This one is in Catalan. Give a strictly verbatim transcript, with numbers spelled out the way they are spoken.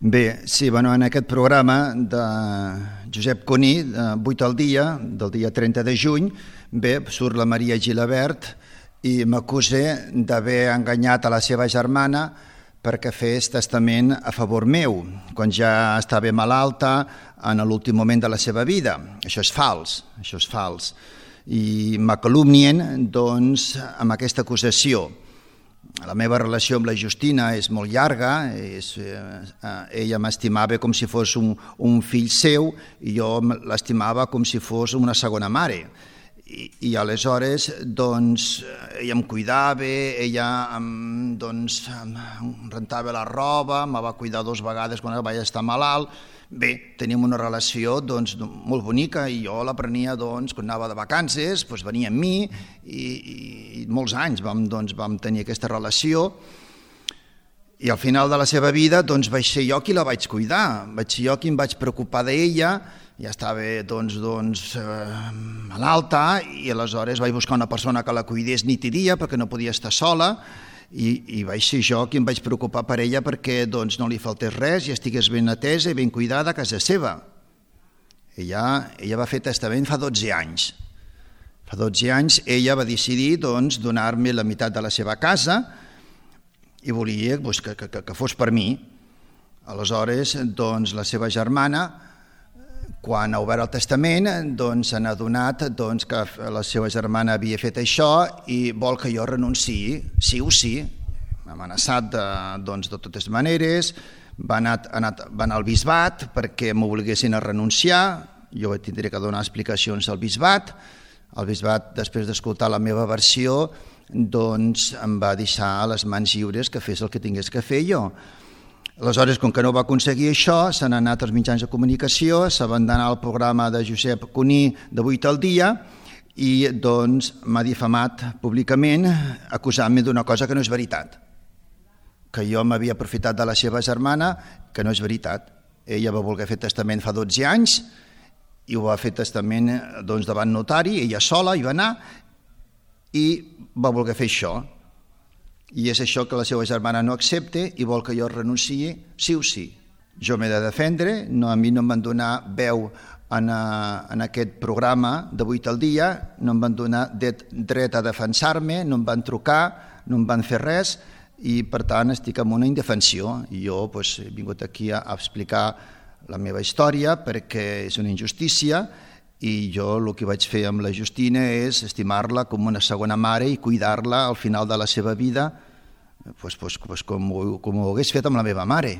Bé, sí, bueno, en aquest programa de Josep Cuní, de vuit al dia, del dia trenta de juny, bé, surt la Maria Gilabert i m'acusa d'haver enganyat a la seva germana perquè fes testament a favor meu, quan ja estava malalta en l'últim moment de la seva vida. Això és fals, això és fals. I m'acalumnien, doncs, amb aquesta acusació. La meva relació amb la Justina és molt llarga, és, eh, ella m'estimava com si fos un, un fill seu i jo l'estimava com si fos una segona mare. I, i aleshores doncs, ella em cuidava, ella em, doncs, em rentava la roba, em va cuidar dues vegades quan vaig estar malalt. Bé, teníem una relació doncs, molt bonica i jo la prenia doncs, quan anava de vacances, doncs, venia amb mi i, i molts anys vam, doncs, vam tenir aquesta relació i al final de la seva vida doncs, vaig ser jo qui la vaig cuidar, vaig ser jo qui em vaig preocupar d'ella, ja estava doncs, doncs, eh, malalta i aleshores vaig buscar una persona que la cuidés nit i dia perquè no podia estar sola. I, i vaig ser jo qui em vaig preocupar per ella perquè doncs, no li faltés res i estigués ben atesa i ben cuidada a casa seva. Ella, ella va fer testament fa dotze anys. Fa dotze anys ella va decidir doncs, donar-me la meitat de la seva casa i volia doncs, que, que, que fos per mi. Aleshores, doncs, la seva germana, quan ha obert el testament, doncs, s'ha adonat doncs, que la seva germana havia fet això i vol que jo renunciï, sí o sí. M'ha amenaçat de, doncs, de totes maneres, va anar, anat, va anar al bisbat perquè m'obliguessin a renunciar, jo tindré que donar explicacions al bisbat. El bisbat, després d'escoltar la meva versió, doncs, em va deixar a les mans lliures que fes el que tingués que fer jo. Aleshores, com que no va aconseguir això, s'han anat als mitjans de comunicació, s'ha abandonat el programa de Josep Cuní de vuit al dia i doncs m'ha difamat públicament acusant-me d'una cosa que no és veritat, que jo m'havia aprofitat de la seva germana, que no és veritat. Ella va voler fer testament fa dotze anys i ho va fer testament doncs, davant notari, ella sola hi va anar i va voler fer això. I és això que la seva germana no accepta i vol que jo renunciï sí o sí. Jo m'he de defendre, no, a mi no em van donar veu en, a, en aquest programa de vuit al dia, no em van donar dret a defensar-me, no em van trucar, no em van fer res i per tant estic en una indefensió. I jo doncs, he vingut aquí a, a explicar la meva història perquè és una injustícia i jo el que vaig fer amb la Justina és estimar-la com una segona mare i cuidar-la al final de la seva vida pues, pues, pues, com, com ho hagués fet amb la meva mare.